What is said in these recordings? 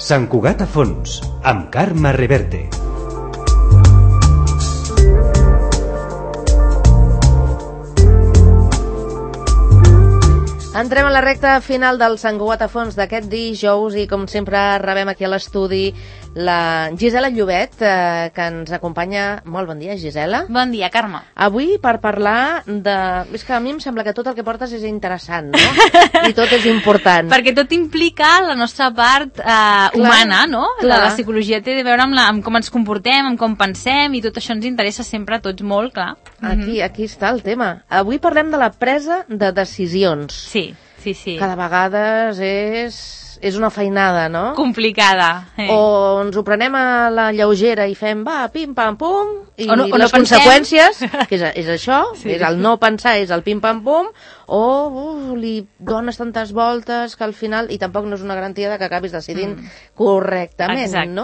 Sant Cugat a fons, amb Carme Reverte. Entrem a la recta final del Sant Cugat a fons d'aquest dijous i com sempre rebem aquí a l'estudi la Gisela Llobet, que ens acompanya. Molt bon dia, Gisela. Bon dia, Carme. Avui per parlar de... És que a mi em sembla que tot el que portes és interessant, no? I tot és important. Perquè tot implica la nostra part humana, no? Clar. La psicologia té a veure amb com ens comportem, amb com pensem, i tot això ens interessa sempre a tots molt, clar. Aquí està el tema. Avui parlem de la presa de decisions. Sí. Cada vegada és una feinada, no? Complicada. O ens ho prenem a la lleugera i fem, va, pim, pam, pum, i o no les conseqüències, que és això, és el no pensar, és el pim, pam, pum, o li dones tantes voltes que al final, i tampoc no és una garantia de que acabis decidint correctament. Exacte. No?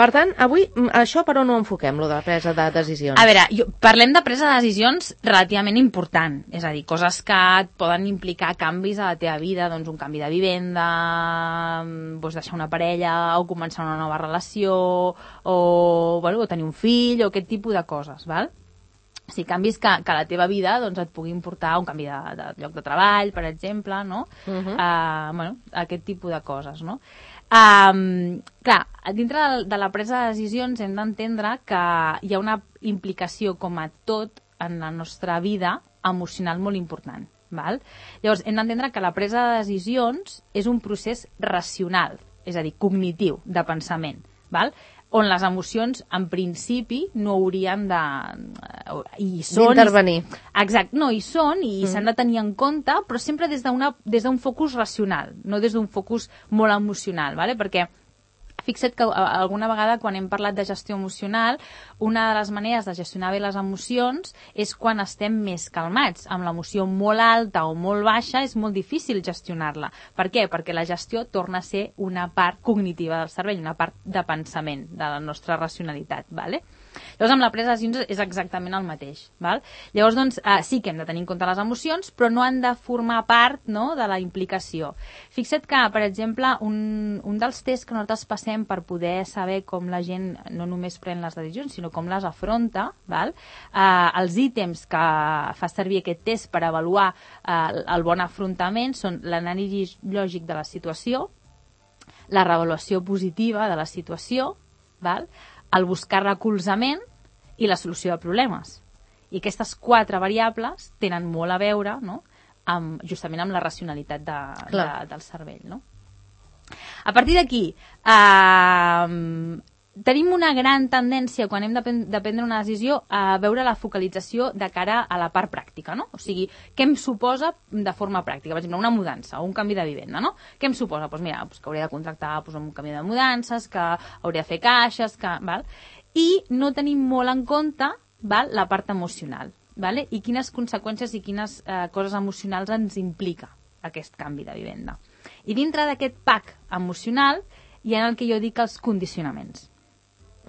Per tant, avui, això per on ho enfoquem, lo de la presa de decisions? A veure, parlem de presa de decisions relativament important, és a dir, coses que et poden implicar canvis a la teva vida, doncs un canvi de vivenda, doncs deixar una parella, o començar una nova relació, o tenir un fill, o aquest tipus de coses, val? O sigui, canvis que a la teva vida doncs, et puguin portar un canvi de lloc de treball, per exemple, no? Aquest tipus de coses, no? Clar, dintre de la presa de decisions hem d'entendre que hi ha una implicació, com a tot, en la nostra vida emocional molt important. Val? Llavors, hem d'entendre que la presa de decisions és un procés racional, és a dir, cognitiu, de pensament, val? On les emocions, en principi, no haurien de... d'intervenir. Exacte, no, hi són i s'han de tenir en compte, però sempre des d'un focus racional, no des d'un focus molt emocional, ¿vale? Perquè fixa't que alguna vegada quan hem parlat de gestió emocional, una de les maneres de gestionar bé les emocions és quan estem més calmats. Amb l'emoció molt alta o molt baixa és molt difícil gestionar-la. Per què? Perquè la gestió torna a ser una part cognitiva del cervell, una part de pensament, de la nostra racionalitat, ¿vale? Llavors, amb la presa de decisions és exactament el mateix. Val? Llavors, doncs, sí que hem de tenir en compte les emocions, però no han de formar part, no?, de la implicació. Fixa't que, per exemple, un dels tests que nosaltres passem per poder saber com la gent no només pren les decisions, sinó com les afronta, val? Els ítems que fa servir aquest test per avaluar el bon afrontament són l'anàlisi lògic de la situació, la reavaluació positiva de la situació, val? El buscar recolzament i la solució de problemes. I aquestes 4 variables tenen molt a veure, no?, justament amb la racionalitat del cervell. No? A partir d'aquí, tenim una gran tendència, quan hem de prendre una decisió, a veure la focalització de cara a la part pràctica, no? O sigui, què em suposa de forma pràctica? Per exemple, una mudança o un canvi de vivenda, no? Què em suposa? Doncs mira, que hauré de contractar un canvi de mudances, que hauré de fer caixes, val? I no tenim molt en compte, val, la part emocional, vale? I quines conseqüències i quines coses emocionals ens implica aquest canvi de vivenda. I dintre d'aquest pack emocional hi ha el que jo dic els condicionaments.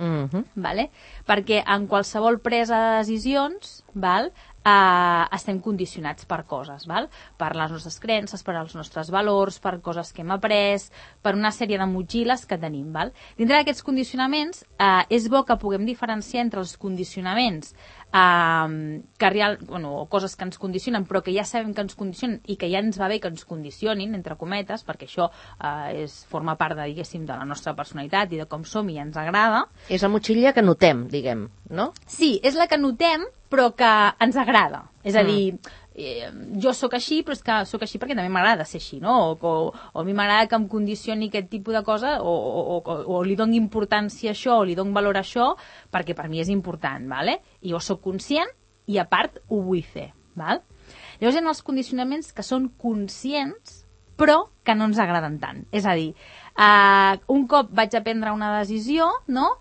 Vale? Perquè en qualsevol presa de decisions, val, estem condicionats per coses, val? Per les nostres creences, per als nostres valors, per coses que hem après, per una sèrie de motxilles que tenim. Val? Dintre d'aquests condicionaments és bo que puguem diferenciar entre els condicionaments o coses que ens condicionen però que ja sabem que ens condicionen i que ja ens va bé que ens condicionin, entre cometes, perquè això forma part de, diguéssim, de la nostra personalitat i de com som i ens agrada. És la motxilla que notem, diguem, no? Sí, és la que notem però que ens agrada. És a dir, jo sóc així, però és que sóc així perquè també m'agrada ser així, no? O a mi m'agrada que em condicioni aquest tipus de cosa, o li dono importància a això, o li dono valor a això, perquè per mi és important, ¿vale? I jo sóc conscient i, a part, ho vull fer, ¿val? Llavors hi ha els condicionaments que són conscients, però que no ens agraden tant. És a dir, un cop vaig a prendre una decisió, no?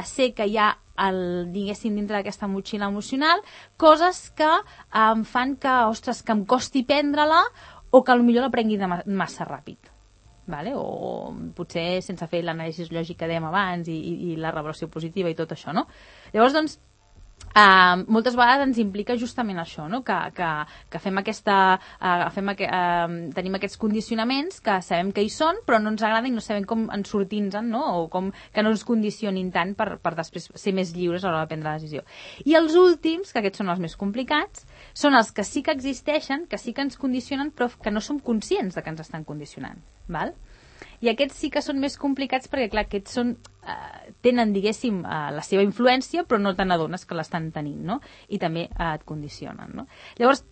Sé que hi ha diguéssim, dintre d'aquesta motxilla emocional, coses que em fan que, ostres, que em costi prendre-la o que potser la prengui massa ràpid. Vale? O potser sense fer l'anàlisi lògic que dèiem abans i la revaluació positiva i tot això, no? Llavors, doncs, moltes vegades ens implica justament això, no? que fem tenim aquests condicionaments que sabem que hi són, però no ens agrada i no sabem com en sortir-nos-en, no? O com que no ens condicionin tant per després ser més lliures a l'hora de prendre la decisió. I els últims, que aquests són els més complicats, són els que sí que existeixen, que sí que ens condicionen, però que no som conscients de que ens estan condicionant. Val? I aquests sí que són més complicats perquè, clar, aquests tenen, diguéssim, la seva influència, però no te n'adones que l'estan tenint, no? I també et condicionen, no? Llavors,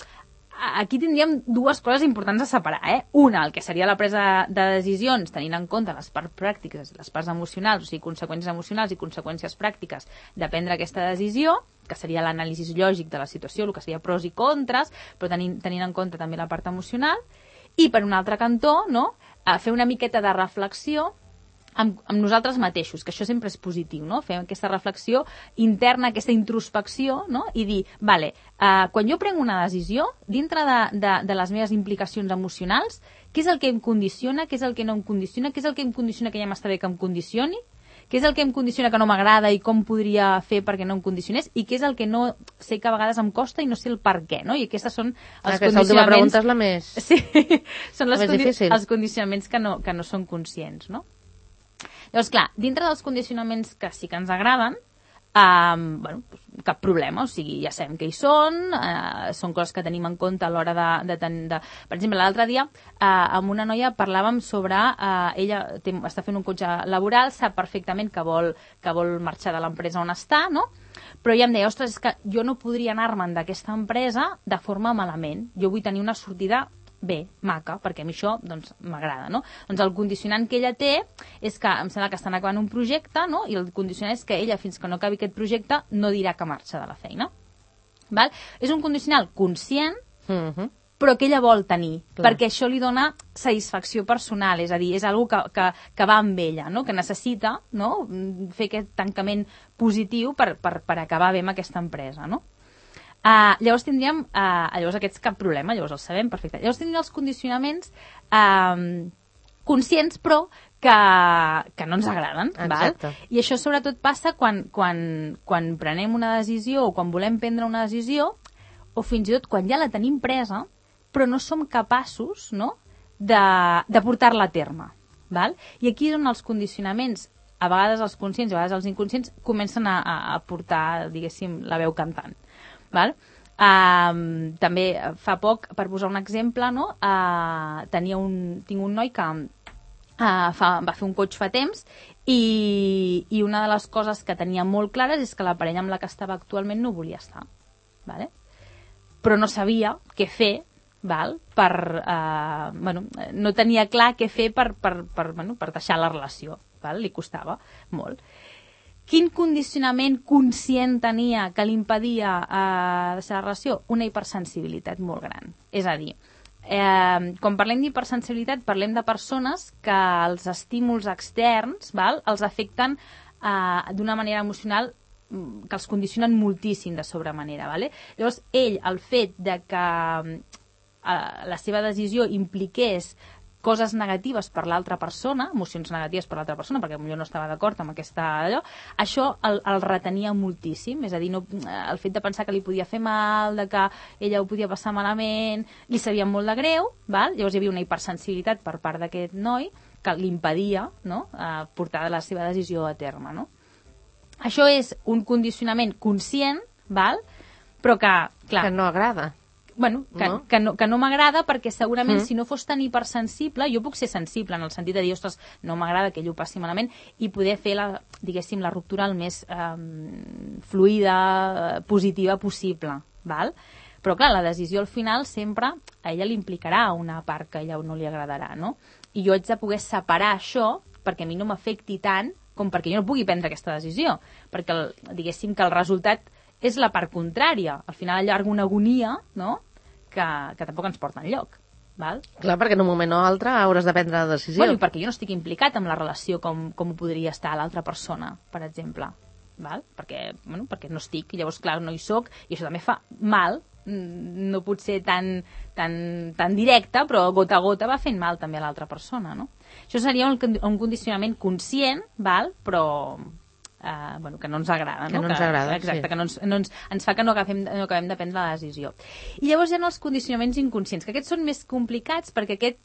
aquí tindríem dues coses importants a separar, Una, el que seria la presa de decisions, tenint en compte les parts pràctiques, les parts emocionals, o sigui, conseqüències emocionals i conseqüències pràctiques de prendre aquesta decisió, que seria l'anàlisi lògic de la situació, el que seria pros i contres, però tenint en compte també la part emocional. I, per un altre cantó, no?, fer una miqueta de reflexió amb nosaltres mateixos, que això sempre és positiu, no? Fer aquesta reflexió interna, aquesta introspecció, no? I dir, vale, quan jo prenc una decisió, dintre de les meves implicacions emocionals, què és el que em condiciona, què és el que no em condiciona, què és el que em condiciona que ja m'està bé que em condicioni, què és el que em condiciona que no m'agrada i com podria fer perquè no em condicionés, i què és el que no sé que a vegades em costa i no sé el per què, no? I aquestes són els condicionaments... Aquesta última pregunta és la més... Sí, són difícil. Els condicionaments que no són conscients, no? Llavors, clar, dintre dels condicionaments que sí que ens agraden, cap problema, o sigui, ja sabem que hi són coses que tenim en compte a l'hora de tenir... Per exemple, l'altre dia amb una noia parlàvem sobre ella està fent un coach laboral, sap perfectament que vol marxar de l'empresa on està, no? Però ella em deia, ostres, és que jo no podria anar-me'n d'aquesta empresa de forma malament, jo vull tenir una sortida bé, maca, perquè a mi això doncs m'agrada, no? Doncs el condicionant que ella té és que em sembla que estan acabant un projecte, no? I el condicionant és que ella, fins que no acabi aquest projecte, no dirà que marxa de la feina. Val? És un condicional conscient, però que ella vol tenir, perquè això li dona satisfacció personal, és a dir, és una que va amb ella, no? Que necessita, no?, fer aquest tancament positiu per acabar bé amb aquesta empresa, no? Llavors tindríem, llavors aquests cap problema, llavors els sabem perfecte. Llavors tindríem els condicionaments conscients, però que no ens agraden. Val? I això sobretot passa quan prenem una decisió o quan volem prendre una decisió, o fins i tot quan ja la tenim presa, però no som capaços, no?, de portar-la a terme. Val? I aquí és on els condicionaments, a vegades els conscients i a vegades els inconscients, comencen a portar, diguéssim, la veu cantant. Val? També fa poc, per posar un exemple, no? Tinc un noi que va fer un coach fa temps i una de les coses que tenia molt clares és que la parella amb la que estava actualment no volia estar, vale? Però no sabia què fer, val? No tenia clar què fer per deixar la relació, val? Li costava molt. Quin condicionament conscient tenia que li impedia deixar la relació? Una hipersensibilitat molt gran. És a dir, quan parlem d'hipersensibilitat, parlem de persones que els estímuls externs, val, els afecten d'una manera emocional que els condicionen moltíssim de sobremanera. Vale? Llavors, el fet de que la seva decisió impliqués coses negatives per l'altra persona, emocions negatives per l'altra persona, perquè potser no estava d'acord amb això el retenia moltíssim, és a dir, el fet de pensar que li podia fer mal, de que ella ho podia passar malament, li sabia molt de greu, val? Llavors hi havia una hipersensibilitat per part d'aquest noi que li impedia, no?, portar la seva decisió a terme, no? Això és un condicionament conscient, val? Però que, clar... Que no agrada. Bueno, que no m'agrada perquè segurament si no fos tan hipersensible, jo puc ser sensible en el sentit de dir, ostres, no m'agrada que ell ho passi malament i poder fer la ruptura el més fluida, positiva possible, val? Però clar, la decisió al final sempre a ella li implicarà una part que a ella no li agradarà, no? I jo haig de poder separar això perquè a mi no m'afecti tant com perquè jo no pugui prendre aquesta decisió, perquè diguéssim que el resultat és la part contrària, al final allarga una agonia, no?, que tampoc ens porta enlloc. Val? Clar, perquè en un moment o altre hauràs de prendre la decisió. Bueno, i perquè jo no estic implicat en la relació com ho podria estar l'altra persona, per exemple. Val? Perquè no estic, i llavors, clar, no hi soc, i això també fa mal, no pot ser tan directe, però gota a gota va fent mal també a l'altra persona, no? Això seria un condicionament conscient, val? Però que no ens agrada. Que no ens agrada, exacte, que ens fa que no acabem de prendre la decisió. I llavors hi ha els condicionaments inconscients, que aquests són més complicats perquè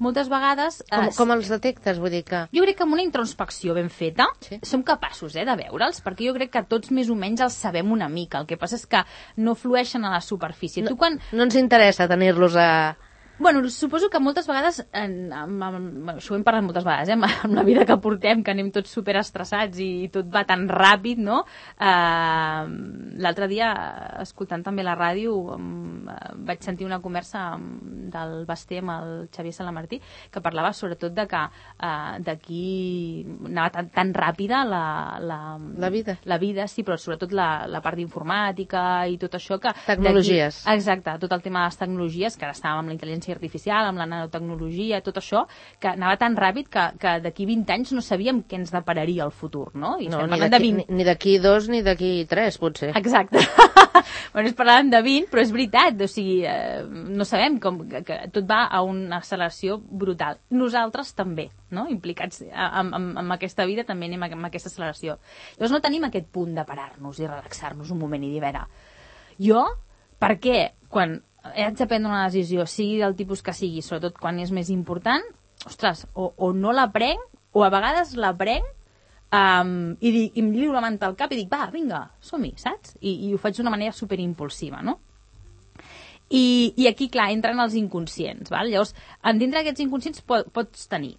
moltes vegades... Com els detectes? Vull dir que... Jo crec que amb una introspecció ben feta som capaços de veure'ls, perquè jo crec que tots més o menys els sabem una mica. El que passa és que no flueixen a la superfície. No ens interessa tenir-los a... Bueno, suposo que moltes vegades, això ho hem parlat moltes vegades, amb la vida que portem, que anem tots superestressats i tot va tan ràpid, no? L'altre dia, escoltant també la ràdio, vaig sentir una conversa del Basté amb el Xavier Salamartí, que parlava sobretot de que d'aquí anava tan ràpida la vida. La vida, sí, però sobretot la part d'informàtica i tot això que... Tecnologies. Exacte, tot el tema de les tecnologies, que ara estàvem amb la intel·ligència artificial, amb la nanotecnologia, tot això, que anava tan ràpid que d'aquí 20 anys no sabíem què ens depararia el futur, no? I no, ni d'aquí 2 ni d'aquí 3, potser. Exacte. Bueno, parlàvem de 20, però és veritat, o sigui, no sabem que tot va a una acceleració brutal. Nosaltres també, no? Implicats amb aquesta vida, també anem amb aquesta acceleració. Llavors no tenim aquest punt de parar-nos i relaxar-nos un moment i dir, a veure, jo, per què, quan haig de prendre una decisió, sigui del tipus que sigui, sobretot quan és més important, ostres, o no la prenc, o a vegades la prenc i em lliuro la manta al cap i dic, va, vinga, som-hi, saps? I ho faig d'una manera superimpulsiva, no? I aquí, clar, entren els inconscients, val? Llavors, dintre d'aquests inconscients pots tenir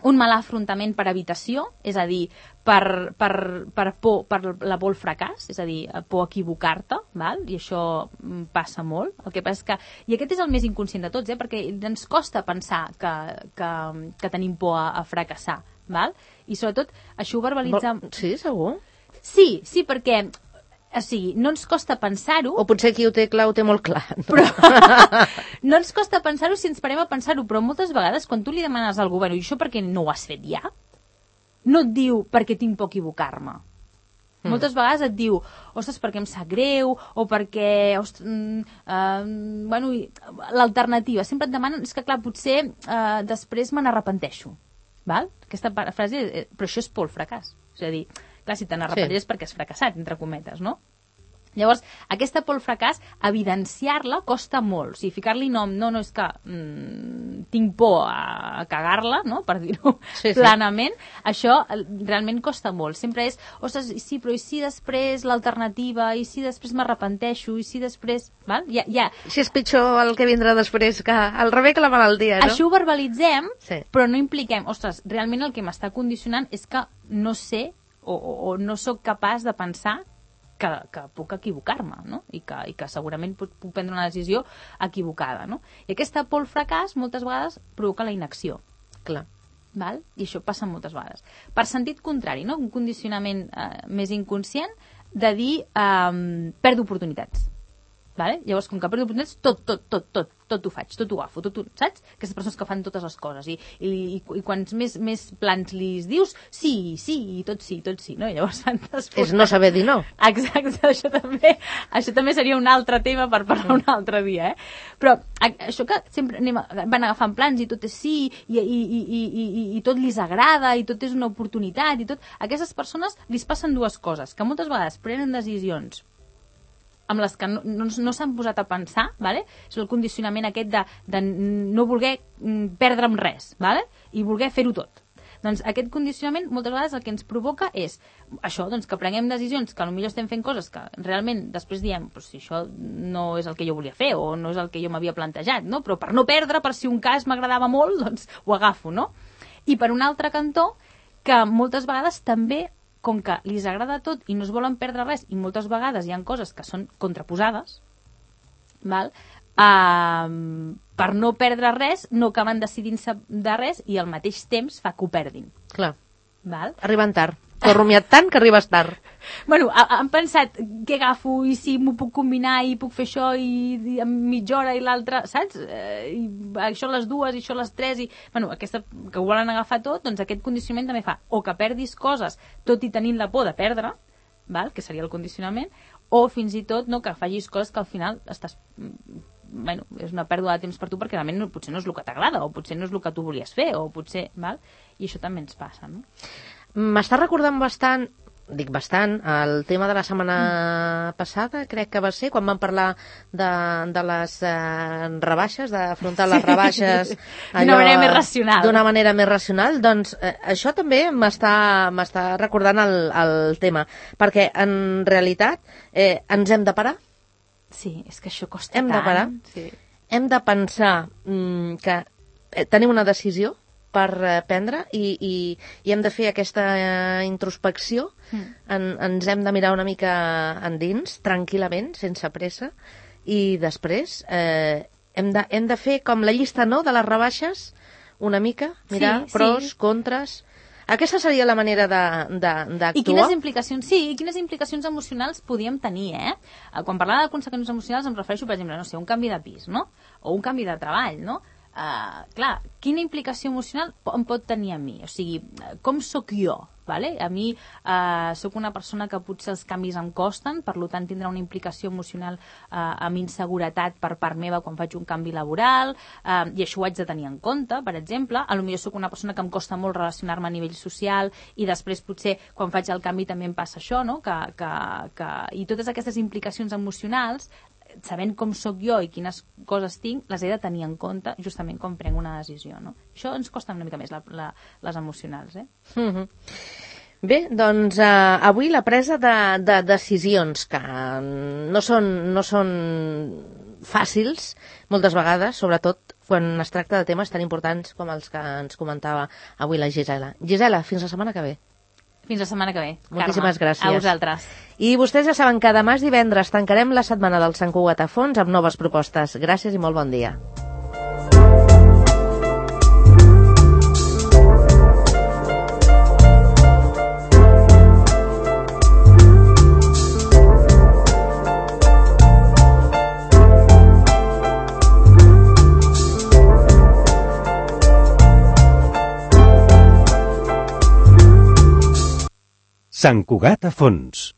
un mal afrontament per evitació, és a dir, per por, per la por al fracàs, és a dir, por a equivocar-te, val? I això passa molt. El que passa és que, i aquest és el més inconscient de tots, perquè ens costa pensar que tenim por a fracassar, val? I sobretot, això ho verbalitza... Sí, segur? Sí, perquè... O sigui, no ens costa pensar-ho... O potser qui ho té clar ho té molt clar. No? Però no ens costa pensar-ho si ens parem a pensar-ho, però moltes vegades quan tu li demanes al govern, i això per què no ho has fet ja? No et diu perquè tinc por a equivocar-me. Moltes vegades et diu, ostres, perquè em sap greu, o perquè... bueno, l'alternativa. Sempre et demanen, és que clar, potser després me n'arrepenteixo. Val? Aquesta frase, però això és por al fracàs. És a dir, clar, si te n'arrepenteixes perquè has fracassat, entre cometes, no? Llavors, aquesta por al fracàs, evidenciar-la costa molt. O sigui, ficar-li nom, no, és que tinc por a cagar-la, no?, per dir-ho planament, això realment costa molt. Sempre és, ostres, sí, però i si després l'alternativa, i si després m'arrepenteixo, i si després... Val? Si és pitjor el que vindrà després, que el rebé que la malaltia, no? Això ho verbalitzem, però no impliquem, ostres, realment el que m'està condicionant és que no sé o no sóc capaç de pensar que puc equivocar-me, no? I que segurament puc prendre una decisió equivocada, no? I aquesta por al fracàs moltes vegades provoca la inacció. Clar. Val? I això passa moltes vegades. Per sentit contrari, no? Un condicionament més inconscient de dir perdo oportunitats. Vale? Llavors, com que perdo oportunitats, tot ho faig, tot ho agafo, saps? Aquestes persones que fan totes les coses i quants més plans li dius, sí, i tot sí, no? I llavors és no saber dir no. Exacte, això també seria un altre tema per parlar un altre dia, Però això que sempre van agafant plans i tot és sí, i tot li agrada, i tot és una oportunitat, i tot, a aquestes persones li passen dues coses, que moltes vegades prenen decisions amb les que no s'han posat a pensar, vale? És el condicionament aquest de no voler perdre'm res, vale? I voler fer-ho tot. Doncs aquest condicionament moltes vegades el que ens provoca és això, doncs, que prenguem decisions que potser estem fent coses que realment després diem, si això no és el que jo volia fer o no és el que jo m'havia plantejat, no? Però per no perdre, per si un cas m'agradava molt, doncs ho agafo, no? I per un altre cantó, que moltes vegades també, com que li agrada tot i no es volen perdre res, i moltes vegades hi ha coses que són contraposades, val? Per no perdre res, no acaben decidint-se de res i al mateix temps fa que ho perdin. Clar. Val? Arriben tard. T'ho has rumiat tant que arribes tard. Bueno, han pensat què agafo i si m'ho puc combinar i puc fer això i en mitja hora i l'altra, saps? I això a les 2 i això a les 3 i... Bueno, aquesta que ho volen agafar tot, doncs aquest condicionament també fa o que perdis coses tot i tenint la por de perdre, val? Que seria el condicionament, o fins i tot no, que facis coses que al final estàs... Bueno, és una pèrdua de temps per tu perquè realment potser no és el que t'agrada o potser no és el que tu volies fer o potser... Val? I això també ens passa, no? M'està recordant bastant, el tema de la setmana passada, crec que va ser, quan vam parlar de les rebaixes, d'afrontar les rebaixes d'una manera més racional. D'una manera més racional, doncs això també m'està recordant el tema, perquè en realitat ens hem de parar. Sí, és que això costa tant. Hem de parar. Sí. Hem de pensar que tenim una decisió per prendre i hem de fer aquesta introspecció. Ens hem de mirar una mica endins, tranquil·lament, sense pressa, i després hem de fer com la llista, no?, de les rebaixes, una mica, mirar pros, contres. Aquesta seria la manera d'actuar. I quines implicacions emocionals podíem tenir, Quan parlava de conseqüències emocionals em refereixo, per exemple, no sé, un canvi de pis, no?, o un canvi de treball, no? Clar, quina implicació emocional em pot tenir a mi? O sigui, com sóc jo? Vale? A mi sóc una persona que potser els canvis em costen, per tant tindrà una implicació emocional amb inseguretat per part meva quan faig un canvi laboral, i això ho haig de tenir en compte, per exemple. Potser sóc una persona que em costa molt relacionar-me a nivell social i després potser quan faig el canvi també em passa això, no? I totes aquestes implicacions emocionals, sabent com sóc jo i quines coses tinc, les he de tenir en compte justament quan prenc una decisió, no? Això ens costa una mica més, les emocionals, Bé, doncs avui la presa de decisions que no són fàcils moltes vegades, sobretot quan es tracta de temes tan importants com els que ens comentava avui la Gisela. Gisela, fins la setmana que ve. Fins la setmana que ve. Moltíssimes gràcies. A vosaltres. I vostès ja saben que demà és divendres, tancarem la setmana del Sant Cugat a fons amb noves propostes. Gràcies i molt bon dia. Sant Cugat a fons.